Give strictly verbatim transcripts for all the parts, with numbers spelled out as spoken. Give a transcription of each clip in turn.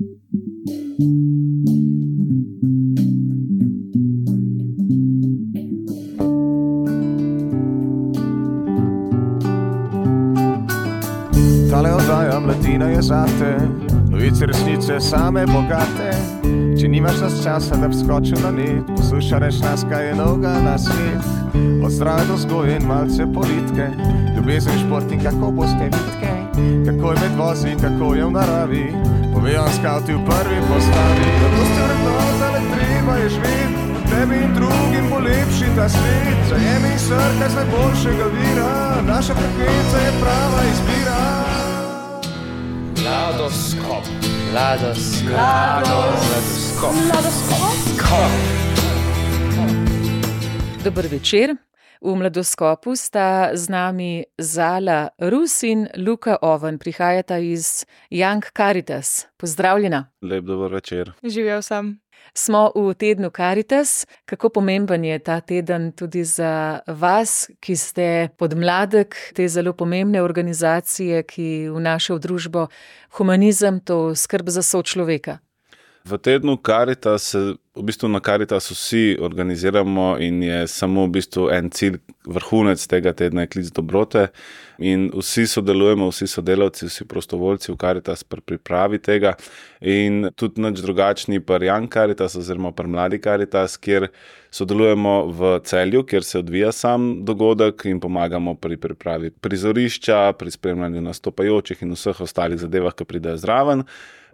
Tale oddaja mladina je zate, novice resnice same bogate. Če nimaš nas časa, da bi skočil na net, poslušaj reč nas, kaj je novega na svet. Od zdrave do vzgoje in malce politike, ljubezen, šport in kako boste vitke, kako je med vozi, kako je v naravi, povejo vam skavti v prvi postavi. Zato ste vrednota, le treba je živeti, tebi in drugim bo lepši ta svet. Zajemi in srkaj z najboljšega vira, naša frekvenca je prava izbira. Mladoskop, mladoskop, mladoskop, mladoskop. Dober večer. V Mladoskopu sta z nami Zala Rus in Luka Oven. Prihajata iz Young Caritas. Pozdravljena. Lep dober večer. Živel sem. Smo v tednu Caritas. Kako pomemben je ta teden tudi za vas, ki ste podmladek te zelo pomembne organizacije, ki vnaša v družbo humanizem, to skrb za sočloveka? V tednu Caritas se v bistvu na Caritasu vsi organiziramo in je samo v bistvu en cilj, vrhunec tega tedna je klic dobrote in vsi sodelujemo, vsi sodelavci, vsi prostovoljci v Caritas pri pripravi tega in tudi nič drugačni pri Young Caritas oziroma pri Mladi Caritas, kjer sodelujemo v Celju, kjer se odvija sam dogodek in pomagamo pri pripravi prizorišča, pri spremljanju nastopajočih in vseh ostalih zadevah, ki pridejo zraven.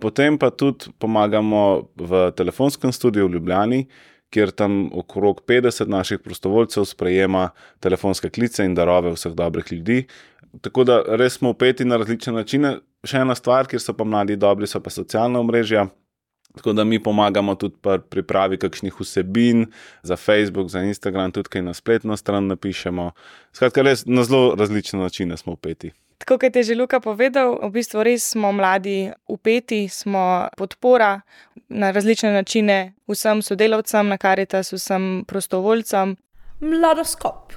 Potem pa tudi pomagamo v telefonskem studiu v Ljubljani, kjer tam okrog petdeset naših prostovoljcev sprejema telefonske klice in darove vseh dobrih ljudi. Tako da res smo vpeti na različne načine. Še ena stvar, kjer so pa mladi dobri, so pa socialna omrežja. Tako da mi pomagamo tudi pri pripravi kakšnih vsebin za Facebook, za Instagram, tudi kaj na spletno stran napišemo. Skratka, res na zelo različne načine smo vpeti. Tako kot je že Luka povedal, v bistvu res smo mladi vpeti, smo podpora na različne načine vsem sodelavcem na Caritas, vsem prostovoljcem. Mladoskop.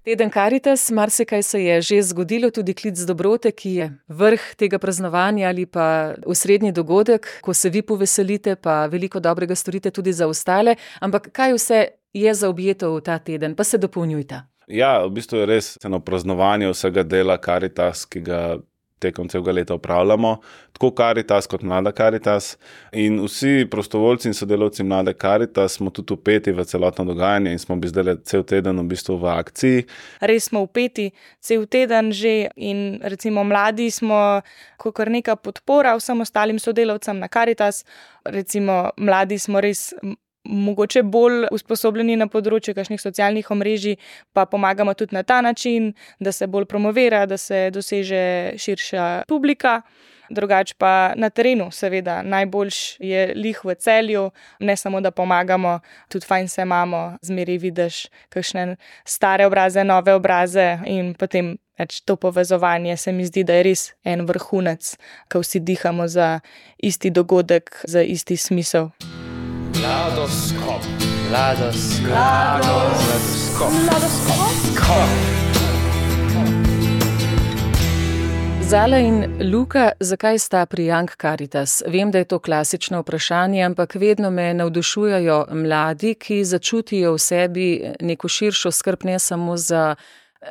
Teden Caritas, marsikaj se je že zgodilo, tudi klic dobrote, ki je vrh tega praznovanja ali pa osrednji dogodek, ko se vi poveselite, pa veliko dobrega storite tudi za ostale. Ampak kaj vse je zaobjeto v ta teden, pa se dopolnjujta? Ja, v bistvu je res eno praznovanje vsega dela Caritas, ki ga tekom celega leta upravljamo, tako Caritas kot Mlada Caritas in vsi prostovoljci in sodelavci Mlade Caritas smo tudi vpeti v celotno dogajanje in smo bi zdaj cel teden v bistvu v akciji. Res smo vpeti cel teden že in recimo mladi smo kakor neka podpora vsem ostalim sodelavcem na Caritas. Recimo mladi smo res mogoče bolj usposobljeni na področju kakšnih socialnih omrežij, pa pomagamo tudi na ta način, da se bolj promovira, da se doseže širša publika. Drugač pa na terenu, seveda, najboljš je lih v Celju, ne samo da pomagamo, tudi fajn se imamo, zmeraj vidiš kakšne stare obraze, nove obraze in potem več to povezovanje se mi zdi, da je res en vrhunec, ko vsi dihamo za isti dogodek, za isti smisel. Mladoskop, mladoskop, mladoskop, mladoskop. Zala in Luka, zakaj sta pri Young Caritas? Vem, da je to klasično vprašanje, ampak vedno me navdušujejo mladi, ki začutijo v sebi neko širšo skrb, ne samo za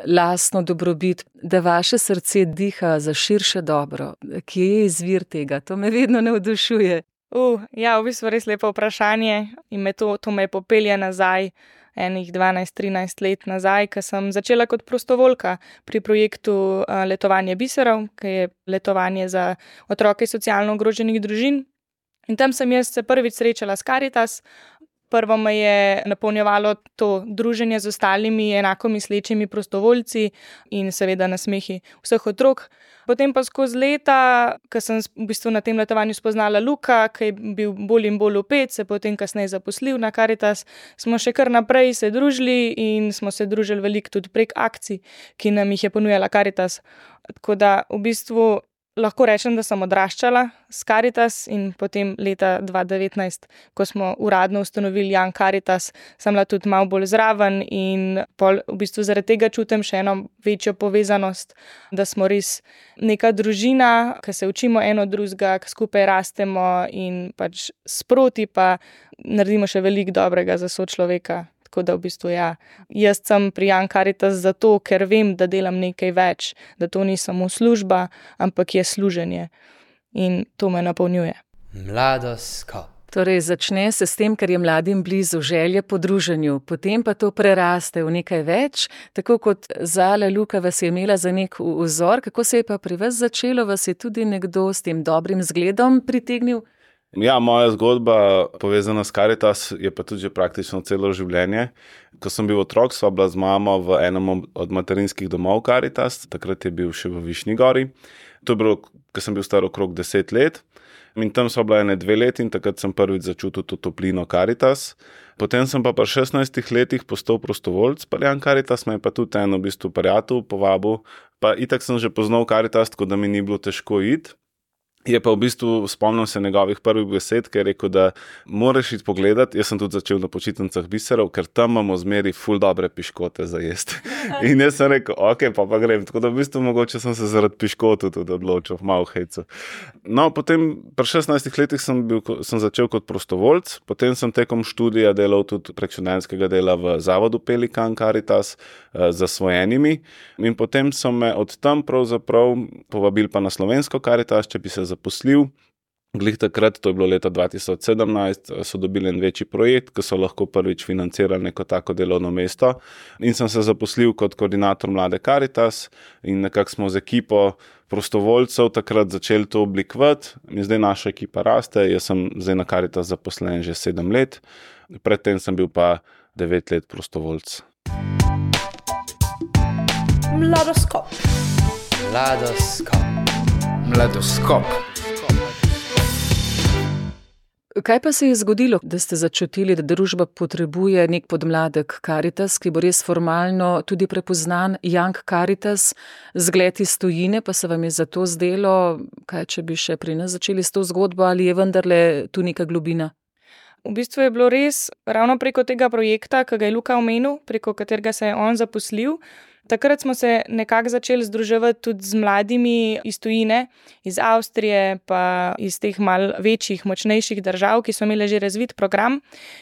lastno dobrobit, da vaše srce diha za širše dobro. Kje je izvir tega? To me vedno navdušuje. Uh, ja, v bistvu res lepo vprašanje in me to, to me popelje nazaj, enih dvanajst trinajst let nazaj, ko sem začela kot prostovoljka pri projektu uh, Letovanje biserov, ki je letovanje za otroke socialno ogroženih družin. In tam sem jaz se prvič srečala s Caritas. Prvo me je napolnjevalo to druženje z ostalimi enako mislečimi prostovoljci in seveda nasmehi vseh otrok. Potem pa skozi leta, ko sem v bistvu na tem letovanju spoznala Luka, ki je bil bolj in bolj vpet, se potem kasneje zaposlil na Caritas, smo še kar naprej se družili in smo se družili veliko tudi prek akcij, ki nam jih je ponujala Caritas. Tako da v bistvu lahko rečem, da sem odraščala s Karitas in potem leta dva tisoč devetnajst, ko smo uradno ustanovili Young Karitas, sem bila tudi malo bolj zraven in pol v bistvu zaradi tega čutim še eno večjo povezanost, da smo res neka družina, ki se učimo eno drugega, ki skupaj rastemo in pač sproti pa naredimo še veliko dobrega za sočloveka. Tako da v bistvu ja, jaz sem pri Young Karitas zato, ker vem, da delam nekaj več, da to ni samo služba, ampak je služenje. In to me napolnjuje. Mladoskop. Torej začne se s tem, ker je mladim blizu želje po druženju, potem pa to preraste v nekaj več, tako kot Zala, Luka vas je imela za nek vzor, kako se je pa pri vas začelo, vas je tudi nekdo s tem dobrim zgledom pritegnil? Ja, moja zgodba povezana s Karitas je pa tudi že praktično celo življenje. Ko sem bil otrok, sva bila z mamo v enem od materinskih domov Karitas, takrat je bil še v Višnji Gori. To je bilo, ko sem bil star okrog deset let. In tam sva bila ene dve leti in takrat sem prvič začutil to toplino Karitas. Potem sem pa pri šestnajstih letih postal prostovoljc pri Young Karitas, me je pa tudi eno v bistvu prijatelj povabil. Pa itak sem že poznal Karitas, tako da mi ni bilo težko iti. Je pa v bistvu, spomnim se njegovih prvih besed, ker je rekel, da moraš iti pogledat. Jaz sem tudi začel na počitnicah biserov, ker tam imamo zmeri ful dobre piškote za jesti. In jaz sem rekel, ok, pa pa grem. Tako da v bistvu mogoče sem se zaradi piškotu tudi odločil, malo hejcu. No, potem pri šestnajstih letih sem, bil, sem začel kot prostovoljc, potem sem tekom študija delal tudi prek študentskega dela v zavodu Pelikan Karitas eh, za svojenimi. In potem so me od tam pravzaprav povabili pa na slovensko Karitas, če bi se zaposlil. Glih takrat, to je bilo leta dva tisoč sedemnajst, so dobili en večji projekt, ki so lahko prvič financirali neko tako delovno mesto in sem se zaposlil kot koordinator Mlade Karitas in nekako smo z ekipo prostovoljcev takrat začeli to oblikovati in zdaj naša ekipa raste, jaz sem zdaj na Karitas zaposlen že sedem let, predtem sem bil pa devet let prostovoljc. Mladoskop. Mladoskop. Mladoskop. Kaj pa se je zgodilo, da ste začutili, da družba potrebuje nek podmladek Karitas, ki bo res formalno tudi prepoznan, Young Karitas, zgled iz tujine, pa se vam je zato zdelo, kaj če bi še pri nas začeli s to zgodbo, ali je vendarle tu neka globina? V bistvu je bilo res ravno preko tega projekta, ki ga je Luka omenil, preko katerega se je on zaposlil. Takrat smo se nekako začeli združevati tudi z mladimi iz tujine, iz Avstrije, pa iz teh mal večjih, močnejših držav, ki so imeli že razvit program.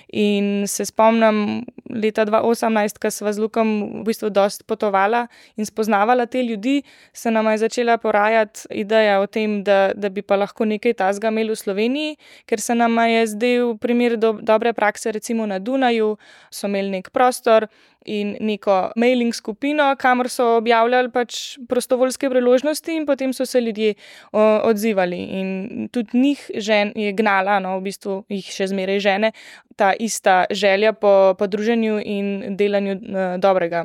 In se spomnim leta dva tisoč osemnajst, ko sva z Lukom v bistvu dosti potovala in spoznavala te ljudi, se nama je začela porajati ideja o tem, da, da bi pa lahko nekaj tazga imeli v Sloveniji, ker se nama je zdel primer do, dobre prakse, recimo na Dunaju, so imeli nek prostor in neko mailing skupino, kamor so objavljali pač prostovoljske priložnosti in potem so se ljudje o, odzivali. In tudi njih žen je gnala, no, v bistvu jih še zmeraj žene, ta ista želja po, po druženju in delanju uh, dobrega.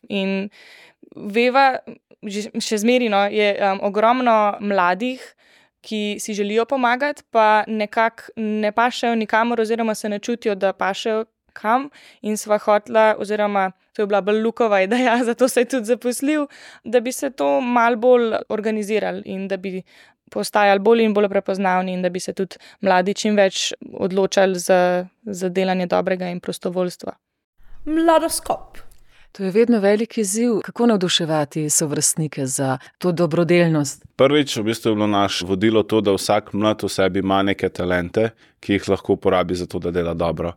In veva, še zmeraj no, je um, ogromno mladih, ki si želijo pomagati, pa nekako ne pašejo nikamor oziroma se ne čutijo, da pašejo kam in sva hotla, oziroma to je bila bolj Lukova ideja, zato se je tudi zaposlil, da bi se to malo bolj organizirali in da bi postajali bolj in bolj prepoznavni in da bi se tudi mladi čim več odločali za, za delanje dobrega in prostovoljstva. Mladoskop. To je vedno velik izziv, kako navduševati sovrstnike za to dobrodelnost. Prvič, v bistvu je bilo naš vodilo to, da vsak mlad v sebi ima neke talente, ki jih lahko uporabi za to, da dela dobro.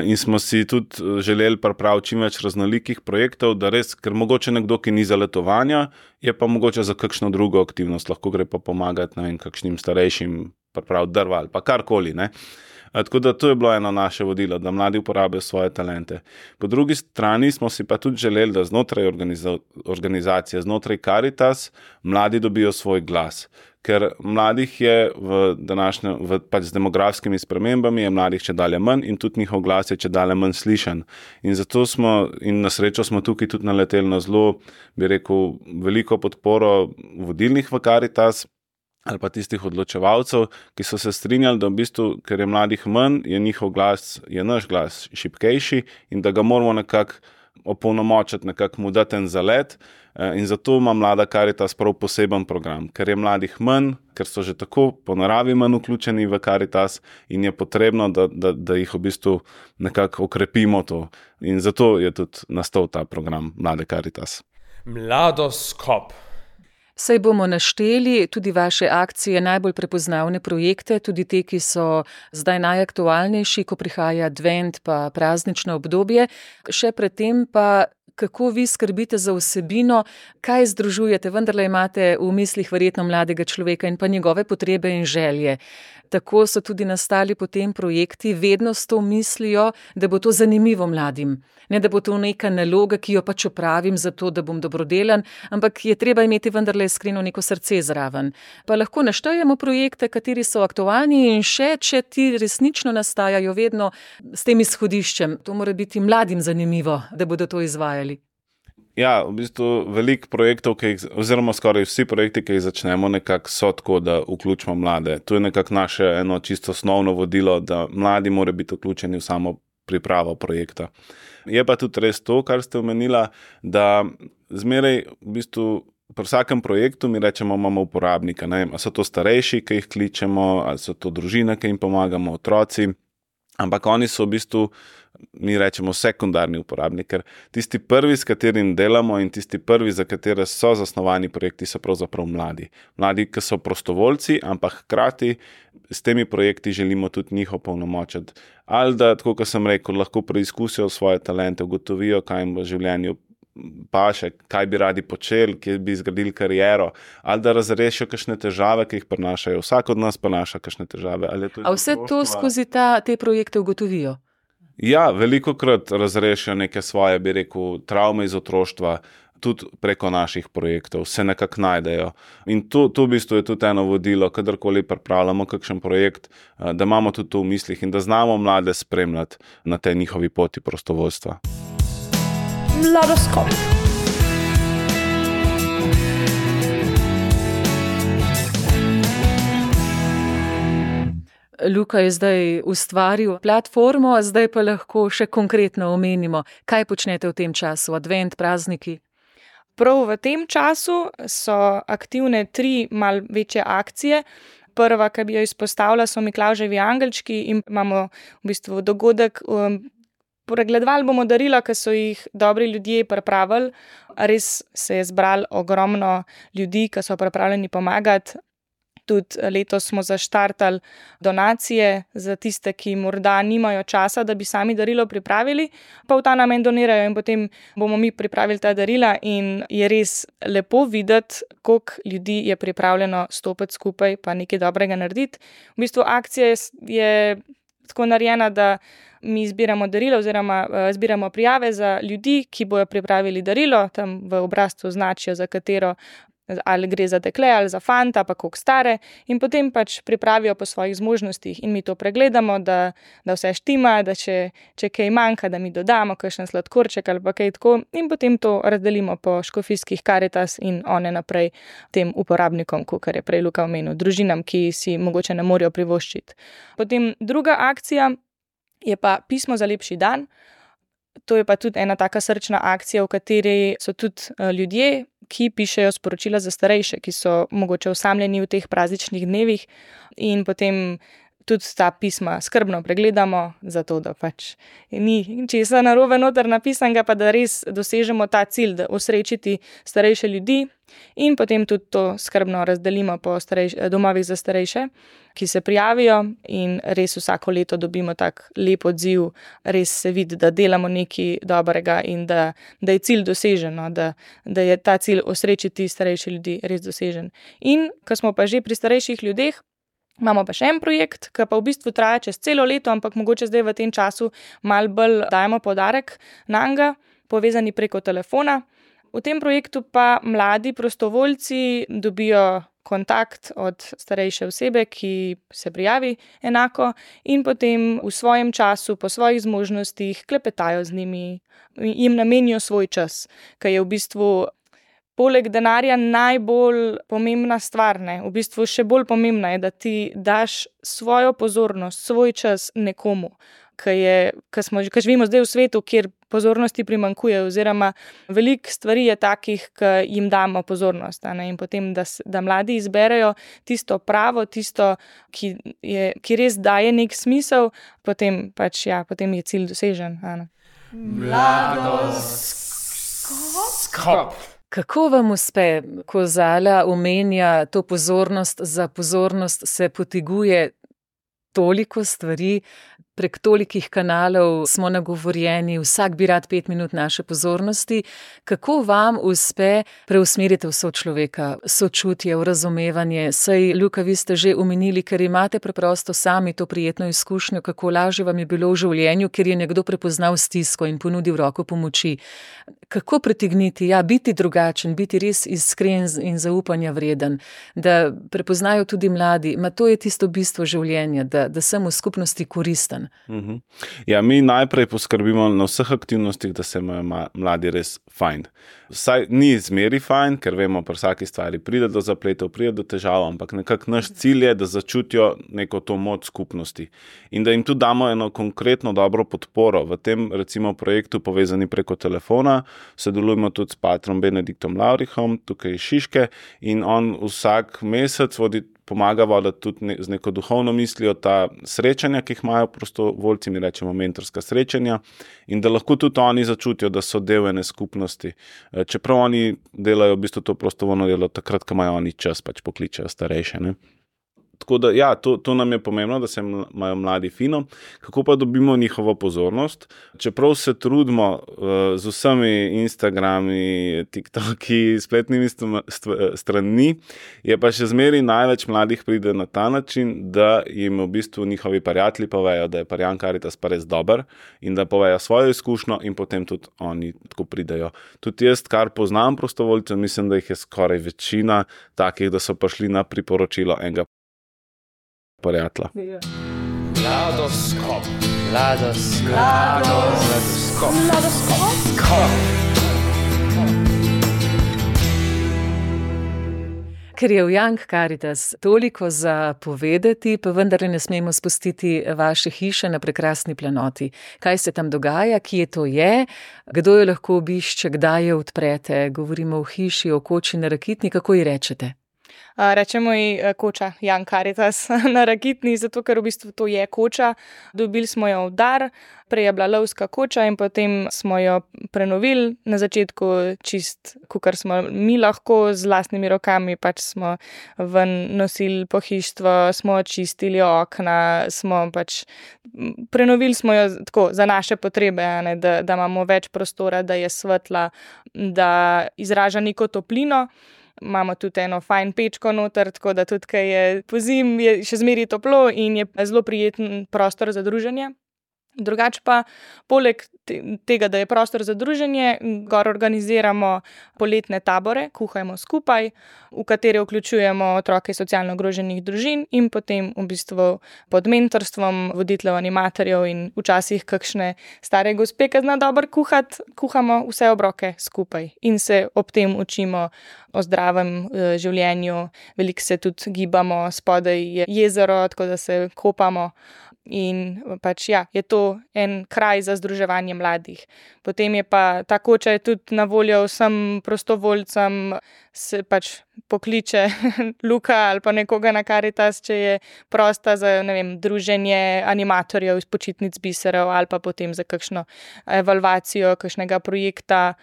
In smo si tudi želeli pripraviti čim več raznolikih projektov, da res, ker mogoče nekdo, ki ni za letovanja, je pa mogoče za kakšno drugo aktivnost, lahko gre pa pomagati, ne vem, kakšnim starejšim pripraviti drva ali pa karkoli, ne. Tako da to je bilo eno naše vodilo, da mladi uporabijo svoje talente. Po drugi strani smo si pa tudi želeli, da znotraj organiza- organizacije, znotraj Karitas, mladi dobijo svoj glas. Ker mladih je v današnjem, v, pač z demografskimi spremembami, je mladih čedalje manj in tudi njihov glas je čedalje manj slišan. In zato smo, in na srečo smo tukaj tudi naleteli na zelo, bi rekel, veliko podporo vodilnih v Karitas, ali pa tistih odločevalcev, ki so se strinjali, da v bistvu, ker je mladih manj, je njihov glas, je naš glas šibkejši in da ga moramo nekako opolnomočiti, nekako mu dati en zalet. In zato ima Mlada Karitas prav poseben program, ker je mladih manj, ker so že tako po naravi manj vključeni v Karitas in je potrebno, da, da, da jih v bistvu nekako okrepimo to. In zato je tudi nastal ta program Mlade Karitas. Mladoskop. Saj bomo našteli tudi vaše akcije, najbolj prepoznavne projekte, tudi te, ki so zdaj najaktualnejši, ko prihaja advent pa praznično obdobje. Še predtem pa, kako vi skrbite za vsebino, kaj združujete, vendarle imate v mislih verjetno mladega človeka in pa njegove potrebe in želje. Tako so tudi nastali potem projekti, vedno s to mislijo, da bo to zanimivo mladim. Ne, da bo to neka naloga, ki jo pač opravim zato, da bom dobrodelan, ampak je treba imeti vendarle iskreno neko srce zraven. Pa lahko naštejemo projekte, kateri so aktualni in še, če ti resnično nastajajo vedno s tem izhodiščem. To mora biti mladim zanimivo, da bodo to izvajali. Ja, v bistvu veliko projektov, ki jih, oziroma skoraj vsi projekti, ki jih začnemo, nekako so tako, da vključimo mlade. To je nekako naše eno čisto osnovno vodilo, da mladi morajo biti vključeni v samo pripravo projekta. Je pa tudi res to, kar ste omenila, da zmeraj v bistvu pri vsakem projektu mi rečemo, imamo uporabnika. Ne vem, ali so to starejši, ki jih kličemo, ali so to družine, ki jim pomagamo, otroci. Ampak oni so v bistvu, mi rečemo, sekundarni uporabnik, ker tisti prvi, s katerim delamo in tisti prvi, za katere so zasnovani projekti, so pravzaprav mladi. Mladi, ki so prostovoljci, ampak hkrati s temi projekti želimo tudi njih opolnomočiti. Ali da, tako kot sem rekel, lahko preizkusijo svoje talente, ugotovijo, kaj jim v življenju paše, kaj bi radi počeli, kje bi zgradili kariero, ali da razrešijo kakšne težave, ki jih prinašajo. Vsak od nas prinaša kakšne težave. To A vse to skozi ta, te projekte ugotovijo? Ja, velikokrat razrešijo neke svoje, bi rekel, travme iz otroštva, tudi preko naših projektov, se nekako najdejo. In to, to v bistvu je tudi eno vodilo, kadarkoli pripravljamo kakšen projekt, da imamo tudi to v mislih in da znamo mlade spremljati na tej njihovi poti prostovoljstva. Mladoskop. Luka je zdaj ustvaril platformo, zdaj pa lahko še konkretno omenimo, kaj počnete v tem času, advent, prazniki. Prav v tem času so aktivne tri mal večje akcije. Prva, ki bi jo izpostavila, so Miklavževi angelčki in imamo v bistvu dogodek. Um, Pregledovali bomo darila, ki so jih dobri ljudje pripravili. Res se je zbralo ogromno ljudi, ki so pripravljeni pomagati. Tudi letos smo zaštartali donacije za tiste, ki morda nimajo časa, da bi sami darilo pripravili, pa v ta namen donirajo in potem bomo mi pripravili ta darila in je res lepo videti, koliko ljudi je pripravljeno stopiti skupaj pa nekaj dobrega narediti. V bistvu akcija je tako narejena, da mi zbiramo darilo oziroma uh, zbiramo prijave za ljudi, ki bojo pripravili darilo, tam v obrazcu označijo, za katero, ali gre za dekle ali za fanta, pa koliko stare, in potem pač pripravijo po svojih zmožnostih in mi to pregledamo, da, da vse štima, da če, če kaj manjka, da mi dodamo kakšen sladkorček ali pa kaj tako, in potem to razdelimo po škofijskih Karitas in one naprej tem uporabnikom, kar je prej Luka omenil, družinam, ki si mogoče ne morejo privoščiti. Potem druga akcija je pa pismo za lepši dan. To je pa tudi ena taka srčna akcija, v kateri so tudi ljudje, ki pišejo sporočila za starejše, ki so mogoče osamljeni v teh prazničnih dnevih in potem tudi ta pisma skrbno pregledamo, zato da pač ni česa narobe noter napisanega, pa da res dosežemo ta cilj, da osrečiti starejše ljudi in potem tudi to skrbno razdelimo po starejš- domovih za starejše, ki se prijavijo in res vsako leto dobimo tak lep odziv, res se vidi, da delamo nekaj dobrega in da, da je cilj dosežen, da, da je ta cilj osrečiti starejše ljudi res dosežen. In ko smo pa že pri starejših ljudeh, imamo pa še en projekt, ki pa v bistvu traja čez celo leto, ampak mogoče zdaj v tem času malo bolj dajemo poudarek nanj, povezani preko telefona. V tem projektu pa mladi prostovoljci dobijo kontakt od starejše osebe, ki se prijavi enako in potem v svojem času, po svojih zmožnostih klepetajo z njimi, jim namenijo svoj čas, ki je v bistvu poleg denarja najbolj pomembna stvar, ne? V bistvu še bolj pomembna je, da ti daš svojo pozornost, svoj čas nekomu, ki živimo zdaj v svetu, kjer pozornosti primanjkuje, oziroma veliko stvari je takih, ki jim damo pozornost. In potem, da, da mladi izberejo tisto pravo, tisto, ki, je, ki res daje nek smisel, potem, pač, ja, potem je cilj dosežen. Mladoskop. Kako vam uspe, ko Zala omenja to pozornost, za pozornost se poteguje toliko stvari, prek tolikih kanalov smo nagovorjeni, vsak bi rad pet minut naše pozornosti. Kako vam uspe preusmeriti v sočloveka, sočutje, v razumevanje? Saj, Luka, vi ste že omenili, ker imate preprosto sami to prijetno izkušnjo, kako lažje vam je bilo v življenju, ker je nekdo prepoznal stisko in ponudil roko pomoči. Kako pritegniti, ja, biti drugačen, biti res iskren in zaupanja vreden, da prepoznajo tudi mladi, ma to je tisto bistvo življenja, da, da sem v skupnosti koristen. Uh-huh. Ja, mi najprej poskrbimo na vseh aktivnostih, da se imajo mladi res fajn. Vsaj ni zmeri fajn, ker vemo, pri vsaki stvari pride do zapletov, pride do težav, ampak nekako naš cilj je, da začutijo neko to moč skupnosti in da jim tudi damo eno konkretno dobro podporo. V tem recimo projektu Povezani preko telefona sodelujemo tudi s patrom Benediktom Laurihom, tukaj iz Šiške, in on vsak mesec vodi pomaga voditi tudi ne, z neko duhovno mislijo ta srečanja, ki jih imajo prostovoljci, mi rečemo mentorska srečanja, in da lahko tudi oni začutijo, da so del ene skupnosti. Čeprav oni delajo v bistvu to prostovoljno delo takrat, ko imajo oni čas, pač pokličejo starejše, ne. Tako da, ja, to, to nam je pomembno, da se imajo mladi fino. Kako pa dobimo njihovo pozornost? Čeprav se trudimo uh, z vsemi Instagrami, TikToki, spletnimi stranmi, je pa še zmeri največ mladih pride na ta način, da jim v bistvu njihovi prijatelji povejo, da je Parjan Karitas pa res dober in da povejo svojo izkušnjo in potem tudi oni tako pridejo. Tudi jaz, kar poznam prostovoljcev, mislim, da jih je skoraj večina takih, da so prišli na priporočilo enega prijatelja. Mladoskop. Mladoskop. Mladoskop. Mladoskop. Ker je v Young Caritas toliko za povedati, pa vendar ne smemo spustiti vaše hiše na prekrasni planoti. Kaj se tam dogaja, kje to je, kdo jo lahko obišče, kdaj jo odprete, govorimo o hiši, o koči na Rakitni, kako ji rečete? Rečemo ji koča Young Caritas na Rakitni, zato ker v bistvu to je koča. Dobili smo jo v dar, prej je bila lovska koča in potem smo jo prenovili. Na začetku čist, kakor smo mi lahko z lastnimi rokami, pač smo ven nosili pohištvo, smo čistili okna, smo pač prenovili smo jo tako za naše potrebe, ne, da, da imamo več prostora, da je svetla, da izraža neko toplino. Imamo tudi eno fajn pečko noter, tako da tudi, kaj je pozim, je še zmeri toplo in je zelo prijeten prostor za druženje. Drugač pa, poleg tega, da je prostor za druženje, gor organiziramo poletne tabore, kuhajmo skupaj, v katere vključujemo otroke socialno ogroženih družin in potem v bistvu pod mentorstvom voditeljev, animatorjev in včasih kakšne stare gospe, ki zna dobro kuhati, kuhamo vse obroke skupaj in se ob tem učimo o zdravem e, življenju. Veliko se tudi gibamo, spodaj je jezero, tako da se kopamo. In pač ja, je to en kraj za združevanje mladih. Potem je pa ta koča je tudi na voljo vsem prostovoljcem, se pač pokliče Luka ali pa nekoga na Karitas, če je prosta za, ne vem, druženje animatorjev iz počitnic biserov ali pa potem za kakšno evalvacijo kakšnega projekta.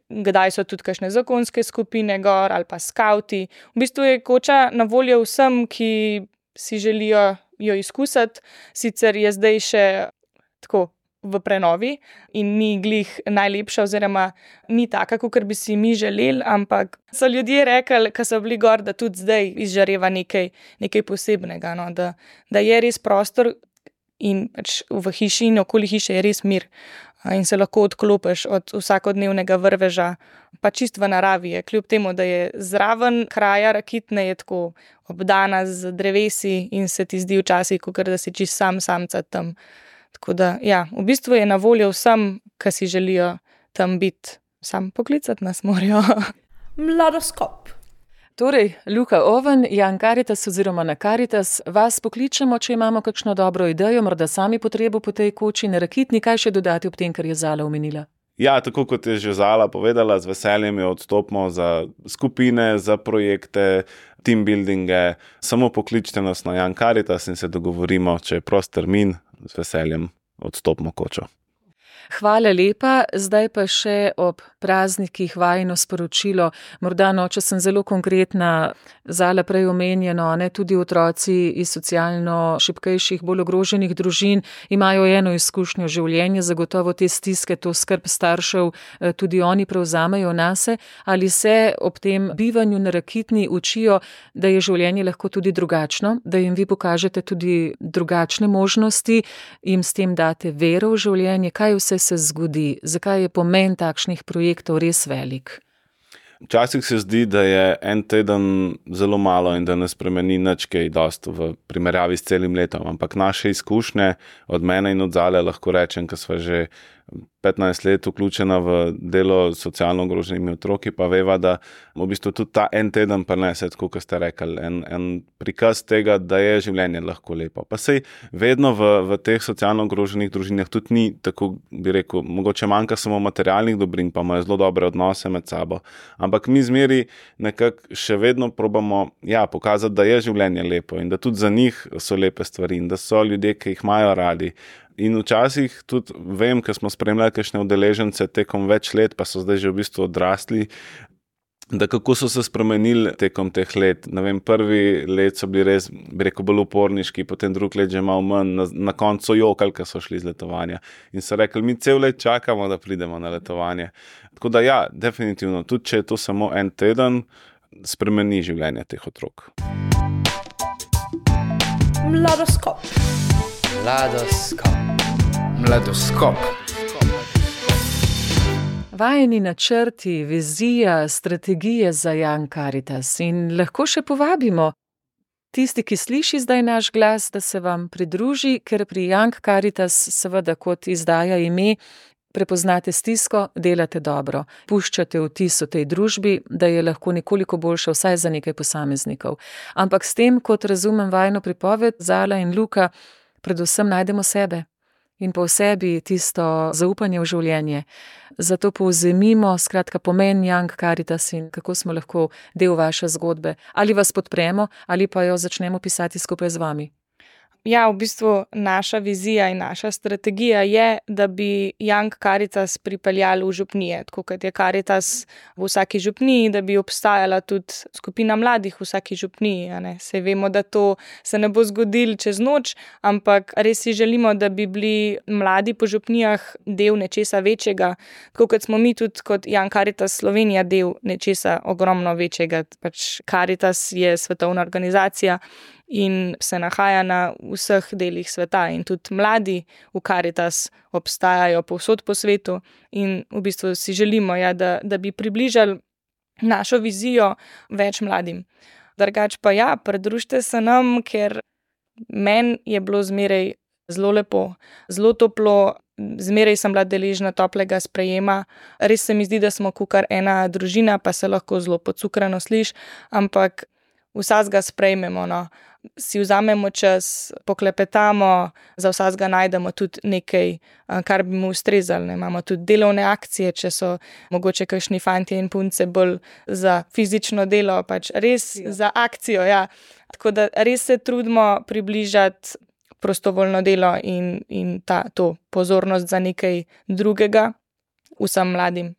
Kdaj so tudi kakšne zakonske skupine gor ali pa skauti. V bistvu je koča na voljo vsem, ki si želijo jo izkusiti, sicer je zdaj še tako v prenovi in ni glih najlepša oziroma ni taka, kakor bi si mi želeli, ampak so ljudje rekli, ko so bili gor, da tudi zdaj izžareva nekaj, nekaj posebnega, no, da, da je res prostor in pač v hiši in okoli hiše je res mir in se lahko odklopiš od vsakodnevnega vrveža, pa čist v naravi je, kljub temu, da je zraven kraja Rakitne je tako obdana z drevesi in se ti zdi včasih, kakor da si čist sam samca tam. Tako da, ja, v bistvu je na voljo vsem, ki si želijo tam biti, sam poklicati nas morajo. Mladoskop. Torej, Luka Oven, Young Caritas oziroma na Caritas, vas pokličemo, če imamo kakšno dobro idejo, morda sami potrebo po tej koči na Rakitni, kaj še dodati ob tem, kar je Zala omenila? Ja, tako kot je že Zala povedala, z veseljem jo odstopimo za skupine, za projekte, team buildinge. Samo pokličite nas na Young Caritas in se dogovorimo, če je prost termin, z veseljem odstopimo kočo. Hvala lepa, zdaj pa še ob praznikih vajino sporočilo, morda no, če sem zelo konkretna, Zala prej omenjeno, ne, tudi otroci iz socialno šibkejših, bolj ogroženih družin imajo eno izkušnjo življenja, zagotovo te stiske, to skrb staršev tudi oni prevzamejo nase, ali se ob tem bivanju na Rakitni učijo, da je življenje lahko tudi drugačno, da jim vi pokažete tudi drugačne možnosti, jim s tem date vero v življenje, kaj vse se zgodi, zakaj je pomen takšnih projektov res velik? Včasih se zdi, da je en teden zelo malo in da ne spremeni nič kaj dosti v primerjavi s celim letom, ampak naše izkušnje od mene in od Zale lahko rečem, ker sva že petnajst let vključena v delo s socialno ogroženimi otroki, pa veva, da v bistvu tudi ta en teden prinese, tako kot ste rekli, en, en prikaz tega, da je življenje lahko lepo. Pa sej vedno v, v teh socialno ogroženih družinah tudi ni, tako bi rekel, mogoče manjka samo materialnih dobrin, pa imajo zelo dobre odnose med sabo. Ampak mi zmeri nekako še vedno probamo ja, pokazati, da je življenje lepo in da tudi za njih so lepe stvari in da so ljudje, ki jih imajo radi. In včasih tudi vem, ker smo spremljali kakšne udeležence tekom več let, pa so zdaj že v bistvu odrasli, da kako so se spremenili tekom teh let. Ne vem, prvi let so bili res, bi rekel, bolj uporniški, potem drug let že malo manj, na, na koncu jokali, ker so šli z letovanja. In so rekli, mi cel let čakamo, da pridemo na letovanje. Tako da ja, definitivno, tudi če je to samo en teden, spremeni življenje teh otrok. Mladoskop. Mladoskop. Mladoskop. Vajeni načrti, vizija, strategije za Young Caritas in lahko še povabimo tisti, ki sliši zdaj naš glas, da se vam pridruži, ker pri Young Caritas seveda kot izdaja ime prepoznate stisko, delate dobro, puščate vtis v tej družbi, da je lahko nekoliko boljša vsaj za nekaj posameznikov. Ampak s tem, kot razumem vajino pripoved, Zala in Luka, predvsem najdemo sebe in po sebi tisto zaupanje v življenje. Zato povzemimo skratka pomen Young Caritas in kako smo lahko del vaše zgodbe. Ali vas podpremo, ali pa jo začnemo pisati skupaj z vami. Ja, v bistvu naša vizija in naša strategija je, da bi Young Caritas pripeljali v župnije, tako kot je Caritas v vsaki župniji, da bi obstajala tudi skupina mladih v vsaki župniji. Saj vemo, da to se ne bo zgodilo čez noč, ampak res si želimo, da bi bili mladi po župnijah del nečesa večjega, tako kot smo mi tudi kot Young Caritas Slovenija del nečesa ogromno večjega. Pač Caritas je svetovna organizacija in se nahaja na vseh delih sveta in tudi mladi v Caritas obstajajo povsod po svetu in v bistvu si želimo, ja, da, da bi približali našo vizijo več mladim. Drugač pa ja, pridružite se nam, ker meni je bilo zmeraj zelo lepo, zelo toplo, zmeraj sem bila deležna toplega sprejema. Res se mi zdi, da smo kakor ena družina, pa se lahko zelo podcukrano sliši, ampak vsazga sprejmemo, no. Si vzamemo čas, poklepetamo, za vsazga najdemo tudi nekaj, kar bi mu ustrezalo. Imamo tudi delovne akcije, če so mogoče kakšni fantje in punce bolj za fizično delo, pač res ja. Za akcijo, ja. Tako da res se trudimo približati prostovoljno delo in, in ta, to pozornost za nekaj drugega vsem mladim.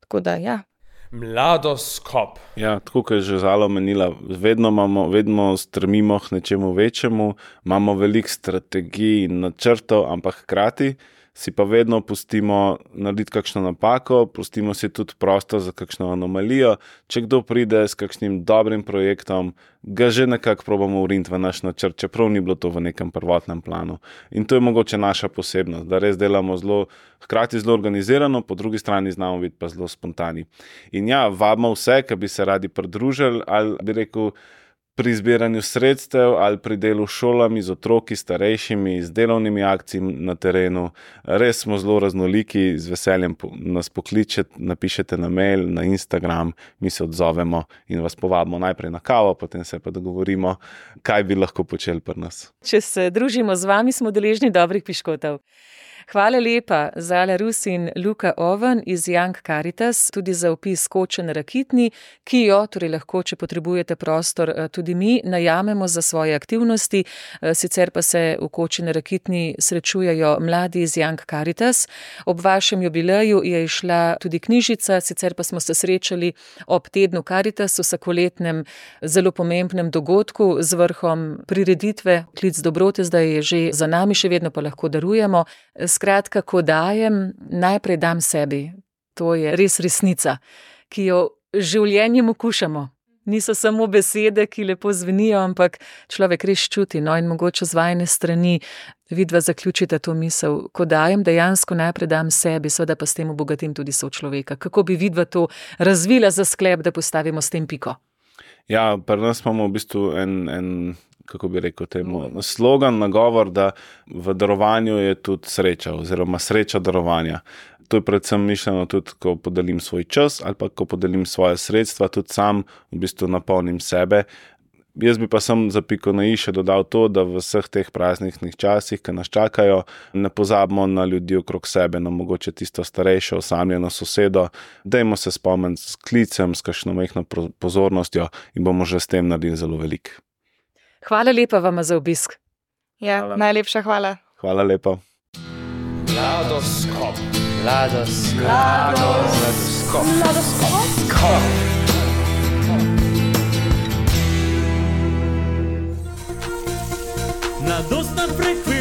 Tako da, ja. Mladoskop. Ja, tako kot je že Zala omenila, vedno imamo, vedno strmimo k nečemu večjemu, imamo veliko strategij in načrtov, ampak hkrati si pa vedno pustimo narediti kakšno napako, pustimo si tudi prostor za kakšno anomalijo. Če kdo pride s kakšnim dobrim projektom, ga že nekako probamo uriniti v naš načrt, čeprav ni bilo to v nekem prvotnem planu. In to je mogoče naša posebnost, da res delamo zelo, hkrati zelo organizirano, po drugi strani znamo biti pa zelo spontani. In ja, vabimo vse, ki bi se radi pridružili, ali bi rekel, pri zbiranju sredstev ali pri delu s šolami, z otroki, starejšimi, z delovnimi akcijami na terenu. Res smo zelo raznoliki, z veseljem nas pokličete, napišete na mail, na Instagram, mi se odzovemo in vas povabimo najprej na kavo, potem se pa dogovorimo, kaj bi lahko počeli pri nas. Če se družimo z vami, smo deležni dobrih piškotov. Hvala lepa, Zala Rus in Luka Oven iz Young Caritas, tudi za opis koče na Rakitni, ki jo, torej lahko, če potrebujete prostor, tudi mi najamemo za svoje aktivnosti. Sicer pa se v koči na Rakitni srečujejo mladi iz Young Caritas. Ob vašem jubileju je išla tudi knjižica, sicer pa smo se srečali ob tednu Caritas, vsakoletnem zelo pomembnem dogodku z vrhom prireditve Klic dobrote, zdaj je že za nami, še vedno pa lahko darujemo. Skratka, ko dajem, najprej dam sebi. To je res resnica, ki jo življenjem okušamo. Niso samo besede, ki lepo zvenijo, ampak človek res čuti. No, in mogoče z vajine strani vidva zaključite to misel. Ko dajem, dejansko najprej dam sebi, seveda pa s tem obogatim tudi sočloveka. Kako bi vidva to razvila za sklep, da postavimo s tem piko? Ja, pri nas imamo v bistvu en... en... kako bi rekel temu, slogan, nagovor, da v darovanju je tudi sreča oziroma sreča darovanja. To je predvsem mišljeno tudi, ko podelim svoj čas ali pa ko podelim svoje sredstva, tudi sam v bistvu napolnim sebe. Jaz bi pa sem za piko na i še dodal to, da v vseh teh prazničnih časih, ki nas čakajo, ne pozabimo na ljudi okrog sebe, na mogoče tisto starejšo, osamljeno sosedo. Dajmo se spomniti s klicem, s kakšno majhno pozornostjo in bomo že s tem naredili zelo veliko. Hvala lepa vama za obisk. Ja, hvala. Najlepša hvala. Hvala lepa. Mladoskop. Mladoskop. Mladoskop. Mladoskop. Mladostna frekvenca.